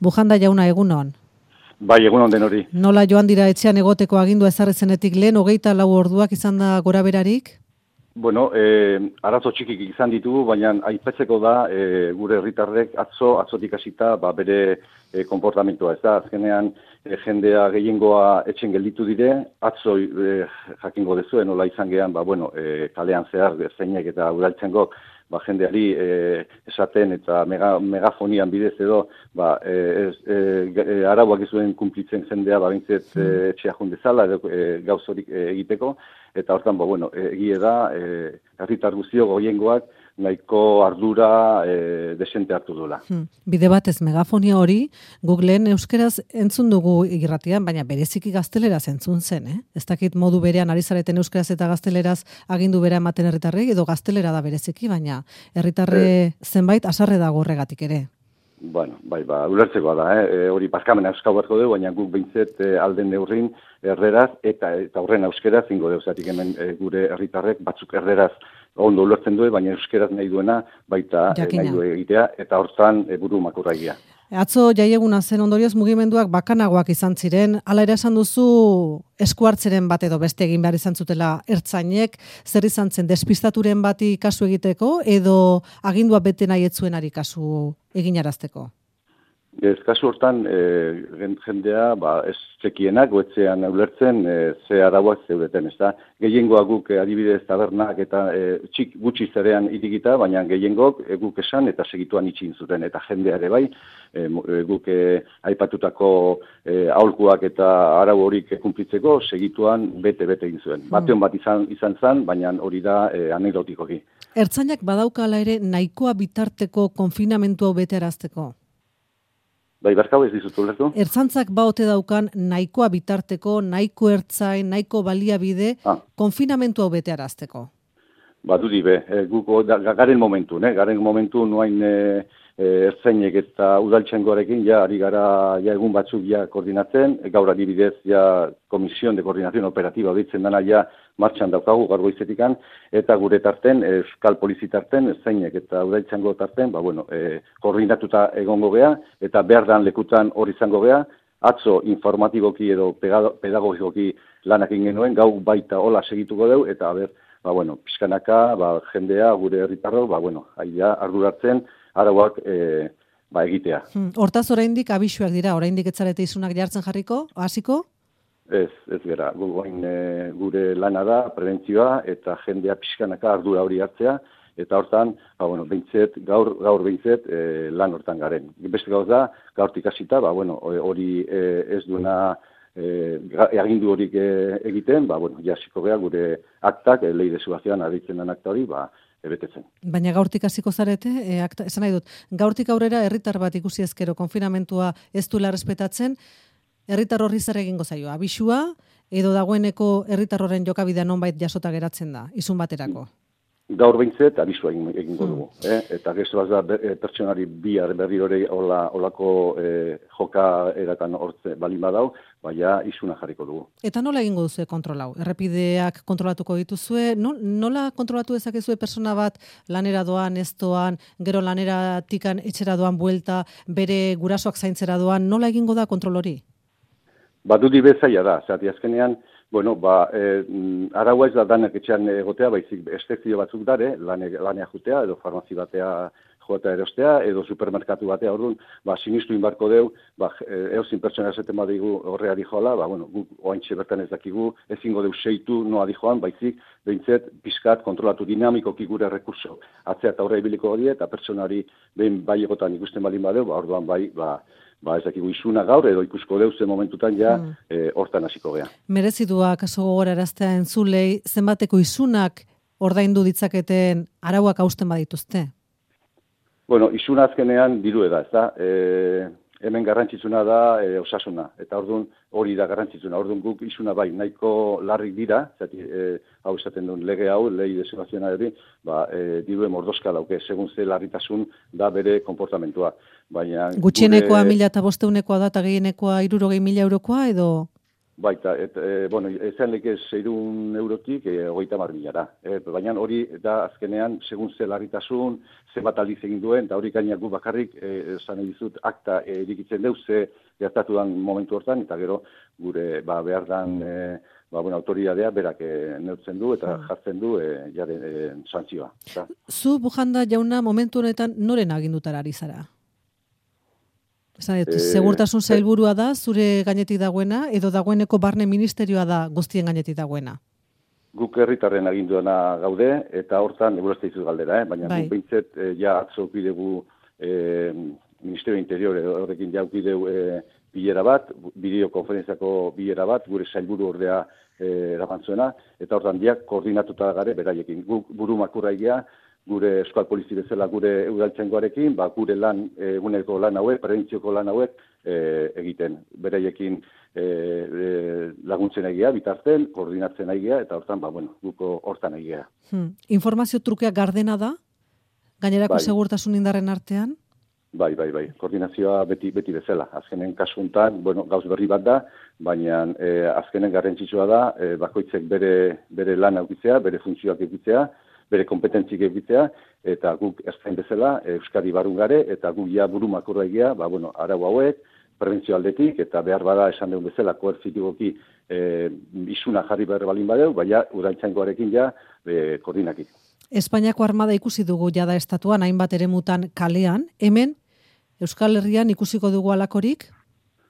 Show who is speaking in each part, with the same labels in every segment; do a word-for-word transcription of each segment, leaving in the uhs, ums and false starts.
Speaker 1: Bujanda jauna, egunon.
Speaker 2: Bai, egunon den hori.
Speaker 1: Nola joan dira etxean egoteko agindua ezarri zenetik lehen, hogeita lau orduak izan da gora berarik?
Speaker 2: Bueno, eh, arazo txikik izan ditugu, baina aipatzeko da eh, gure herritarrek atzo, atzotik hasita ba, bere eh, konportamentua. Ez da, azkenean eh, jendea gehiengoa etxen gelditu dire, atzo eh, jakingo dezuen, nola izan gehan, ba, bueno, eh, kalean zehar, zeinek eta udaltzengok, ba, jendeari eh, esaten eta mega, megafonian bidez edo ba, eh, eh, arauak izuen kumplitzen jendea ba, bintzet eh, etxea jundezala edo eh, gauzorik eh, egiteko, eta hortan, ba, bueno, egie da, eh, herritar guztio goiengoak nahiko ardura e, desente hartu duela.
Speaker 1: Hmm. Bide batez megafonia hori, Googleen euskeraz entzun dugu irratian, baina bereziki gazteleraz entzun zen, eh? Ez dakit modu berean ari zareten euskeraz eta gazteleraz agindu bera ematen herritarrei, edo gaztelera da bereziki, baina herritarre eh. zenbait asarre dago horregatik ere.
Speaker 2: Bueno, bai, ba, ulertzeko da, eh? E, hori paskamena euskau beharko dugu, baina guk behintzet e, alden neurrin erderaz eta eta horren euskeraz ingo dugu, zatik hemen e, gure herritarrek batzuk erderaz ondo ulertzen du, baina euskeraz nahi duena baita e, nahi du egitea, eta hortan e, buru makurra egia.
Speaker 1: Atzo jaieguna zen ondorioz mugimenduak bakanagoak izan ziren, hala ere esan duzu eskuartzeren bat edo beste egin behar izan zutela ertzainek, zer izan zen despistaturen bati kasu egiteko edo agindua bete nahi etzuenari kasu eginarazteko?
Speaker 2: Ez, kasu hortan, e, jendea, ba, ez txekienak, goetzean ulertzen, e, ze arauak zeudeten, ez da. Gehiengoa guk e, adibidez tabernak eta e, txik gutxi zerean irikita, baina gehiengok e, guk esan eta segituan itxin zuten, eta jendea ere bai, e, guk e, aipatutako e, aholkuak eta arau horik kumplitzeko segituan bete-bete egin zuen. Hmm. Bateon bat izan, izan zen, baina hori da e, anekdotikoki.
Speaker 1: Ertzainak badaukala ere nahikoa bitarteko konfinamentua betearazteko?
Speaker 2: Bai, barkau ez dizut ulertu?
Speaker 1: Ertzantzak baote daukan nahikoa bitarteko, nahiko ertzain, nahiko baliabide, ah. konfinamentua betearazteko?
Speaker 2: Ba, dudi be, e, guko, da, garen momentu, ne? Garen momentu nuain e, e, ertzainek eta udaltxengoarekin, ja, ari gara, ja, egun batzuk, ja, koordinatzen, e, gaur adibidez, ja, Komisión de Coordinación Operativa ditzen dana, ja, martxan daukagu, gaur goizetikan, eta gure tarten, euskal polizi tarten, ertzainek eta udaltxengo tarten, ba, bueno, e, koordinatuta egongo gea, eta behar dan lekutan hori izango gea, atzo informatiboki edo pedagogikoki lanak genuen, gau baita hola segituko deu, eta, ber, ba, bueno, pixkanaka, ba, jendea, gure herritarro, ba, bueno, aia, arduratzen, arauak e, ba, egitea.
Speaker 1: Hmm. Hortaz oraindik abisuak dira, oraindik etzarete izunak jartzen jarriko, hasiko?
Speaker 2: Ez, ez gara, e, gure lana da, prebentzioa, eta jendea pixkanaka ardura hori hartzea, eta hortan, ba, bueno, behintzet, gaur, gaur behintzet, e, lan hortan garen. Beste gauz da, gaurtik hasita, ba, bueno, hori e, ez duena e, agindu horik e, egiten, ba, bueno, jasiko gea gure aktak, e, lei de subazioan aditzen den akta hori, ba, ebetetzen.
Speaker 1: Baina gaurtik hasiko zarete, e, akta, esan nahi dut, gaurtik aurrera herritar bat ikusi ezkero konfinamentua ez duela respetatzen, herritar horri zer egingo zaio, abisua, edo dagoeneko herritar horren jokabidea nonbait jasota geratzen da, izun baterako?
Speaker 2: Gaur behintzet, abisua egingo dugu. Hmm. Eh? Eta gesto bat da, pertsonari bihar berri hori olako eh, joka eratan hortze balin badau, baina izuna jarriko dugu.
Speaker 1: Eta nola egingo duzue kontrolau? Errepideak kontrolatuko dituzue? Nola kontrolatu dezakezue persona bat lanera doan, ez doan, gero lanera tikan etxera doan buelta, bere gurasoak zaintzera doan, nola egingo da kontrol hori?
Speaker 2: Ba, dudi bezaia da, zati azkenean, bueno, ba, e, araua ez da danak etxean egotea, baizik estezio batzuk dare, lane, lanea jutea, edo farmazi batea joatea erostea, edo supermerkatu batea, orduan, ba, sinistu inbarko deu, ba, eozin pertsona eseten badigu horreari joala, ba, bueno, guk oaintxe bertan ez dakigu, ezingo deu seitu noa dijoan, baizik, behintzet, pizkat, kontrolatu dinamikoki gure rekurso, atzea eta horre ibiliko hori, eta pertsonari behin bai egotan ikusten balin badeu, ba, orduan bai, ba, ba, ez dakigu izuna gaur, edo ikusko deuze momentutan ja, mm. e, hortan hasiko gea.
Speaker 1: Merezidua kaso gogoraraztea entzulei, zenbateko izunak ordaindu ditzaketen arauak hausten badituzte?
Speaker 2: Bueno, izuna azkenean diru da, ez da? E, hemen garrantzitsuna da e, osasuna, eta orduan hori da garrantzitsuna. Orduan guk izuna bai, nahiko larrik dira, zati, e, hau esaten duen lege hau, lei desobazioa hori, ba, e, diruen mordozka dauke, segun ze larritasun da bere konportamentua. Baina,
Speaker 1: gutxienekoa gure... mila eta bosteunekoa da, eta gehienekoa hirurogei mila eurokoa, edo?
Speaker 2: Baita, et, e, bueno, ezan leke seirun eurotik e, hogeita mar milara. E, baina hori da azkenean, segun ze larritasun, ze bat aldiz egin duen, eta hori gaina gu bakarrik, esan e, dizut, akta e, erikitzen deu, ze gertatu dan momentu hortan, eta gero gure ba, behar dan e, ba, bueno, autoridadea berak e, neurtzen du, eta jartzen du e, jare e, santzioa. Eta.
Speaker 1: Zu, Bujanda jauna, momentu honetan noren agindutara ari zara? E, segurtasun sailburua da, zure gainetik dagoena, edo dagoeneko barne ministerioa da guztien gainetik dagoena?
Speaker 2: Guk herritarren aginduena gaude, eta hortan, egurazte izuz galdera, eh? baina bai. Guk behintzet, eh, ja atzo ukidegu eh, Ministerio Interior, horrekin ja ukideu eh, bilera bat, bideokonferentziako bilera bat, gure sailburu ordea eh, erabantzuena, eta hortan diak koordinatuta gare beraiekin. Guk buru makurraigia, gure Euskal Polizi bezala gure udaltzaingoarekin, ba, gure lan, eguneko lan hauek, prebentzioko lan hauek e, egiten. Bereiekin e, e, laguntzen egia, bitartzen, koordinatzen egia, eta hortan, ba, bueno, guko hortan egia.
Speaker 1: Hmm. Informazio trukea gardena da? Gainerako bai. Segurtasun indarren artean?
Speaker 2: Bai, bai, bai. Koordinazioa beti beti bezala. Azkenen kasuntan, bueno, gauz berri bat da, baina e, azkenen garrantzitsua da, e, bakoitzek bere, bere lan aukitzea, bere funtzioak aukitzea, bere kompetentzik egitea, eta guk erzain bezala, Euskadi barun gare, eta guk ja buru makurra egia, ba, bueno, arau hauek, prebentzio aldetik, eta behar bada esan dugu bezala, koertzitiboki e, isuna jarri behar balin badeu, baina udaltzaingoarekin ja e, koordinaki.
Speaker 1: Espainiako armada ikusi dugu jada estatuan, hainbat eremutan kalean, hemen Euskal Herrian ikusiko dugu alakorik?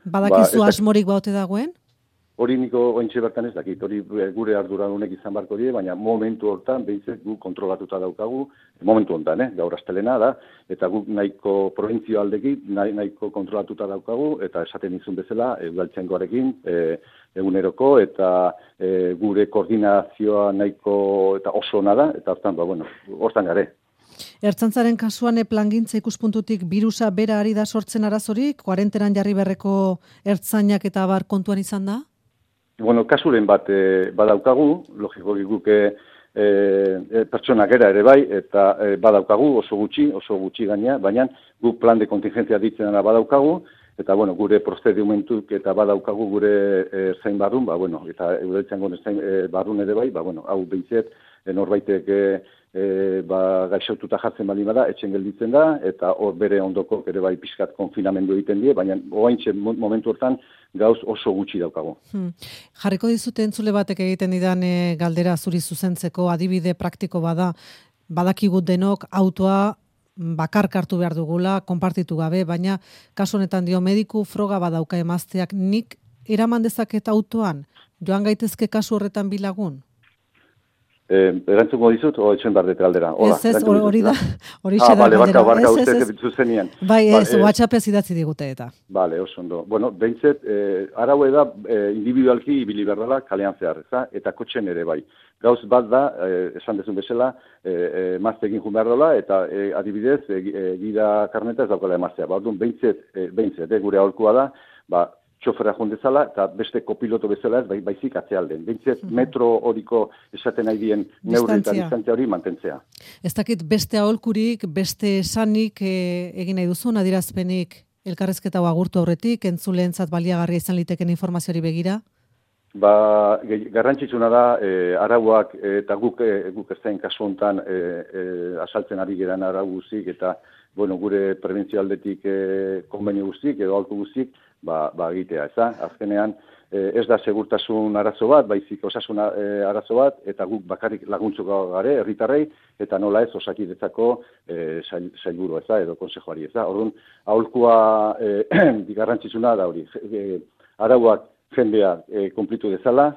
Speaker 1: Badakizu ba, asmorik baute dagoen?
Speaker 2: Hori niko ointxe bertan ez dakit, hori gure arduradunek izan barko die, baina momentu hortan behitzek gu kontrolatuta daukagu, momentu hontan, eh, gaur astelena da, eta guk nahiko provintzio aldeki, nahi, nahiko kontrolatuta daukagu, eta esaten izun bezala, udaltzaingoarekin, e, eguneroko, eta e, gure koordinazioa nahiko eta oso ona da, eta hortan, ba, bueno, hortan gare.
Speaker 1: Ertzaintzaren kasuan plangintza ikuspuntutik birusa bera ari da sortzen arazorik, kuarentenan jarri berreko ertzainak eta bar kontuan izan da?
Speaker 2: Bueno, kasuren bat e, badaukagu, logikoki guke e, e, pertsonak era ere bai, eta e, badaukagu oso gutxi, oso gutxi gaina, baina guk plan de kontingentzia ditzena badaukagu, eta bueno, gure prozedimentuk eta badaukagu gure e, zain barrun, ba, bueno, eta eudeltzango zain e, barrun ere bai, ba, bueno, hau behintzet, e, norbaitek e, e, ba, gaixotuta jartzen bali bada, etxen gelditzen da, eta hor bere ondoko ere bai pixkat konfinamendu egiten die, baina oaintxe momentu hortan gauz oso gutxi daukago.
Speaker 1: Hmm. Jarriko dizute entzule batek egiten didan e, galdera zuri zuzentzeko adibide praktiko bada, badakigut denok autoa bakar kartu behar dugula, konpartitu gabe, baina kasu honetan dio mediku froga badauka emazteak, nik eraman dezaket autoan, joan gaitezke kasu horretan bilagun?
Speaker 2: Eh, erantzuko dizut, o etxen bardet galdera.
Speaker 1: Ez, ez, hori da, hori
Speaker 2: ah,
Speaker 1: da
Speaker 2: vale,
Speaker 1: galdera.
Speaker 2: Barka, barka, uste egitu zenian.
Speaker 1: Bai, ez,
Speaker 2: ba,
Speaker 1: WhatsApp ez idatzi digute eta.
Speaker 2: Bale, oso ondo. Bueno, behintzet, eh, araue da, eh, individualki ibili berdala kalean zehar, eza? Eta kotxen ere bai. Gauz bat da, eh, esan dezun bezala, eh, eh, maztekin jun behar dola, eta eh, adibidez, eh, gida karneta ez daukala emaztea. Ba, orduan, behintzet, eh, behintzet, eh, gure aholkua da, ba, txofera jondezala, eta beste kopiloto bezala ez, bai, baizik atzealden. Bintzet, mm-hmm. metro horiko esaten nahi dien neurri eta distantzia hori mantentzea.
Speaker 1: Ez dakit beste aholkurik, beste esanik e, egin nahi duzun, adierazpenik elkarrezketa agurtu aurretik, entzuleentzat baliagarria izan liteken informaziori begira?
Speaker 2: Ba, garrantzitsuna da, e, arauak eta guk, e, guk ez zain kasu honetan e, e, asaltzen ari geran arau guztik, eta bueno, gure prebentzio aldetik e, konbenio guztik, edo aholku guztik, ba, ba egitea, ez da? Azkenean, eh, ez da segurtasun arazo bat, baizik osasun eh, arazo bat, eta guk bakarrik laguntzuko gare, herritarrei, eta nola ez osakidetzako eh, sail, sailburu, ez da, edo konsejoari, ez da? Orduan, aholkua eh, garrantzitsuna da hori, eh, arauak jendea eh, konplitu dezala,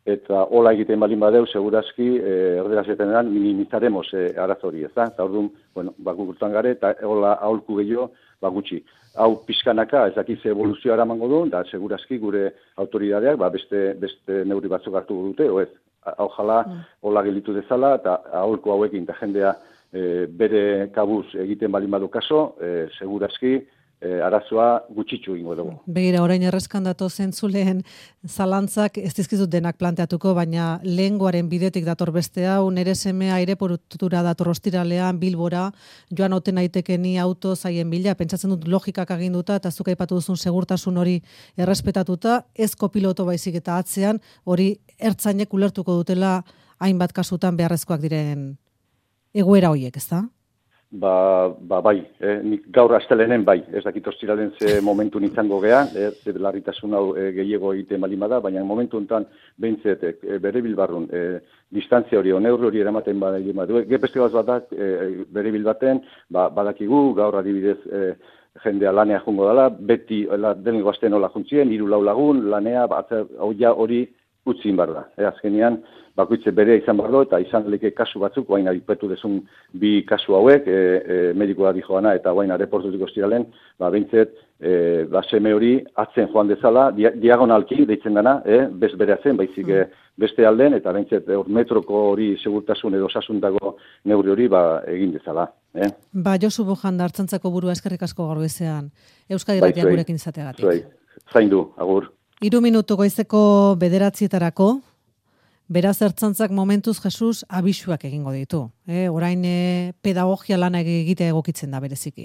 Speaker 2: eta hola egiten balin badeu, segurazki, eh, erderazetenean minimizaremos eh, arazo hori, ez da? Eta orduan, bueno, bakugurtan gare, eta hola aholku gehiago, ba gutxi. Hau pixkanaka, ez dakiz evoluzioa eramango du, da segurazki gure autoridadeak ba, beste, beste neurri batzuk hartu dute, o ez, hau jala, mm. hola gelitu dezala, eta aholku hauekin, eta jendea e, bere kabuz egiten balin badu kaso, e, segurazki e, arazoa gutxitxu ingo dugu.
Speaker 1: Begira, orain errezkan dato zentzuleen zalantzak ez dizkizut denak planteatuko, baina lehengoaren bidetik dator beste hau, nere semea aireportura dator ostiralean, Bilbora, joan oten aitekeni auto zaien bila, pentsatzen dut logikak aginduta, eta zuk aipatu duzun segurtasun hori errespetatuta, ez kopiloto baizik eta atzean, hori ertzainek ulertuko dutela hainbat kasutan beharrezkoak diren egoera horiek, ez da?
Speaker 2: Ba, ba bai, eh, nik gaur astelenen bai, ez dakit ostiralen ze momentu izango gea, eh, ze larritasun hau eh, gehiago egiten balin bada, baina momentu honetan behintzet eh, bere bilbarrun eh, distantzia hori, neurri hori eramaten badaien badu. Gepeste gaz bat da, eh, bere bilbaten, ba, badakigu, gaur adibidez eh, jendea lanea jungo dela, beti la, dengo azten hola juntzien, hiru lau lagun, lanea, ba, hori utzin bar da. E, azkenean, bakoitze berea izan bar do, eta izan leke kasu batzuk, guain adipetu desun bi kasu hauek, e, e, medikoa di joana, eta guain areportutik ostiralen, ba, behintzet, e, ba, seme hori atzen joan dezala, dia, diagonalki deitzen dana, e, bez berea zen, baizik mm. beste alden, eta behintzet, e, metroko hori segurtasun edo osasuntako neurri hori, ba, egin dezala. Eh?
Speaker 1: Ba, Josu Bojanda, Artxantzako burua eskerrik asko gaur bezean, Euskadi Irratia bai, gurekin izateagatik.
Speaker 2: Zuei, zaindu, agur.
Speaker 1: Hiru minutu goizeko bederatzietarako, beraz Ertzaintzak momentuz Jesus abisuak egingo ditu. Eh? Orain eh, pedagogia lana egitea egokitzen da bereziki.